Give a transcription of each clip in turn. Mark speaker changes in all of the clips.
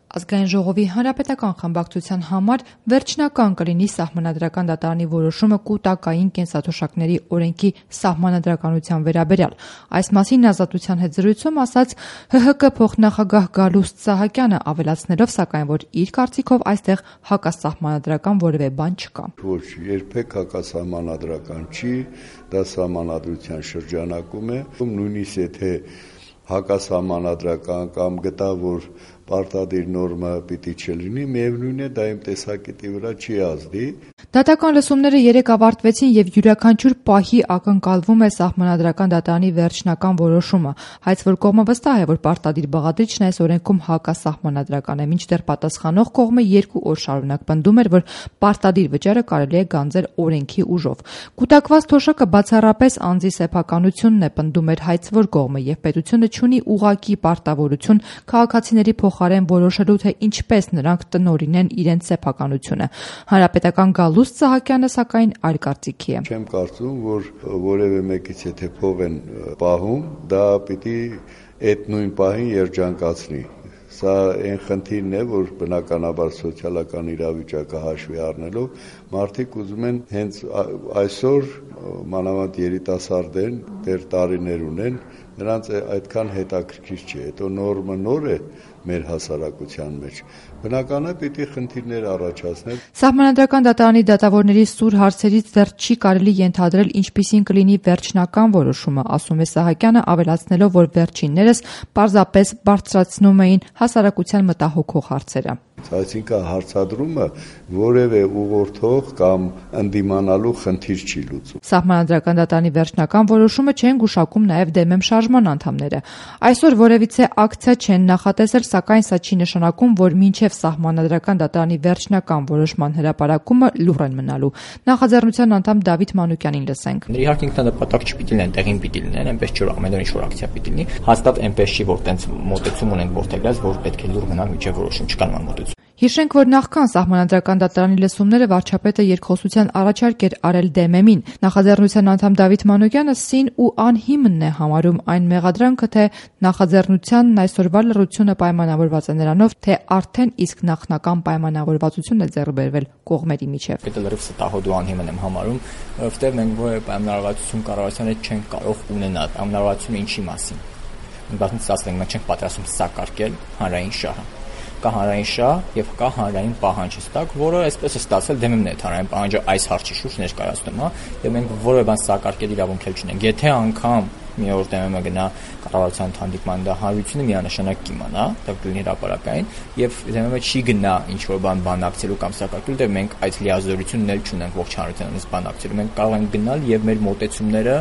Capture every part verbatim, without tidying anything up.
Speaker 1: Ազգային ժողովի հանրապետական խմբակցության համար վերջնական կլինի Սահմանադրական դատարանի որոշումը կուտակային կենսաթոշակների օրենքի սահմանադրականության վերաբերյալ։ Այս մասին Ազատության հետ զրույցում ասաց Հ Հ К փոխնախագահ Գալուստ Սահակյանը, ավելացնելով սակայն, որ իր կարծիքով այստեղ հակասահմանադրական որևէ բան չկա։
Speaker 2: Ոչ, երբեք հակասահմանադրական չի, դա սահմանադրության շրջանակում է, նույնիսկ եթե հակասահմանադրական կամ գտա, որ պարտադիր նորմը պիտի չլինի, միևնույն է, դա իմ տեսակետի վրա չի ազդի։
Speaker 1: Դատական լսումները երեկ ավարտվեցին եւ յուրաքանչյուր պահի ակնկալվում է Սահմանադրական դատարանի վերջնական որոշումը, հայց որ կողմը վստահ է, որ պարտադիր բաղադրիչն այս օրենքում հակասահմանադրական է, մինչդեռ պատասխանող կողմը երկու օր շարունակ պնդում էր, որ պարտադիր վճարը կարելի է գանձել օրենքի ուժով։ Կուտակված թոշակը բացառապես անձի սեփականությունն է, պնդում էր հայց որ կողմը, եւ պետությունը չունի ուղղակի պարտավորություն քաղաքացիների փոխարեն որոշելու, թե ինչպես նրանք տնօրինեն իրենց սեփականությունը։ Հանրապետական Գալուստ Սահակյանը սակայն այլ կարծիքի է։
Speaker 2: Չեմ կարծում, որ որևէ մեկից եթե փող են պահում, դա պիտի այդ նույն պահին երջանկացնի։ Սա այն խնդիրն է, որ բնականաբար սոցիալական իրավիճակը հաշվի առնելով մարդիկ ուզում են հենց այսօր մանավանդ երիտասարդ են, դեռ տարիներ ունեն, նրանց այդքան հետաքրքիր չէ, հետո նորմը նոր է մեր հասարակության մեջ, բնական է պիտի խնդիրներ առաջացնել։
Speaker 1: Սահմանադրական դատարանի դատավորների սուր հարցերից դեռ չի կարելի ենթադրել ինչպիսին կլինի վերջնական որոշումը, ասում է Սահակյանը, ավելացնելով, որ վերջիններս պարզապես բարձրացնում էին հասարակության մտահոգող հարցերը։
Speaker 2: Այսինքն հարցադրումը որևէ ուղղորդող կամ ընդդիմանալու խնդիր չի լուծում։
Speaker 1: Սահմանադրական դատարանի վերջնական որոշումը չեն գուշակում նաև դեմ եմ շարժման անդամները։ Այսօր որևիցե ակցիա չեն նախատեսել, սակայն սա չի նշանակում, որ մինչև Սահմանադրական դատարանի վերջնական որոշման հրապարակումը լուռ են մնալու։ Նախաձեռնության անդամ Դավիթ Մանուկյանին լսենք։
Speaker 3: Իհարկե ինքնանպատակ չպիտի լինեն, տեղին պիտի լինեն, այնպես չէ, որ ամեն օր ինչ-որ ակցիա պիտի լինի։ Հաստատ այնպես չի, որ տենց մոտեցում ունենք ворթեգրած, որ պետք է լուռ մնանք մինչև որոշում, չկա նման մոտեցում։
Speaker 1: Հիշենք, որ նախքան Սահմանադրական դատարանի լսումները վարչապետը երկխոսության առաջարկ էր արել դեմեմին։ Նախաձեռնության անդամ Դավիթ Մանուկյանը սին ու անհիմն է համարում այն մեղադրանքը, թե նախաձեռնությանն այսօրվա լռությունը պայմանավորված է նրանով, թե արդեն իսկ նախնական պայմանավորվածություն է ձեռք բերվել կողմերի միջև։
Speaker 3: Դա լրիվ ստահոդ ու անհիմն եմ համարում, որովհետև մենք որևէ պայմանավորվածություն կառավարության հետ չենք կարող ունենալ։ Պայմանավորվածությունը ինչի մասին։ Բացից ասենք մենք չենք պատրաստում սակարկել հանրային շահը։ Կա հանրային շահ եւ կա հանրային պահանջ ստակ, որը այսպես է ստացել դեմեմն է հանրային պահանջը այս հարցի շուրջ ներկայացնում, հա, եւ մենք որևէ բան սակարկել իրավունք չունենք։ Եթե անգամ մի օր դեմեմը գնա կառավարության հանդիպման, դա հանրությունը միանշանակ կիմանա, դա կլինի հրապարակային, եւ դեմեմը չի գնա ինչ որ բան բանակցելու կամ սակարկելու, դե մենք այդ լիազորությունն էլ չունենք ողջ հանրությանից բանակցելու։ Մենք կարող ենք գնալ եւ մեր մոտեցումները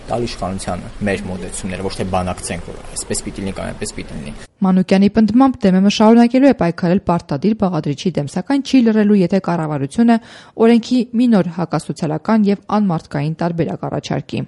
Speaker 3: տալ իշխանությանը, մեր մոտեցումները, ոչ թե բանակցենք, որ այսպես պիտի լինի կամ այնպես պիտի լինի։
Speaker 1: Մանուկյանի պնդմամբ դեմեմը շարունակելու է պայքարել պարտադիր բաղադրիչի դեմ, սակայն չի լռելու, եթե կառավարությունը օրենքի մի նոր հակասոցիալական եւ անմարդկային տարբերակ առաջարկի։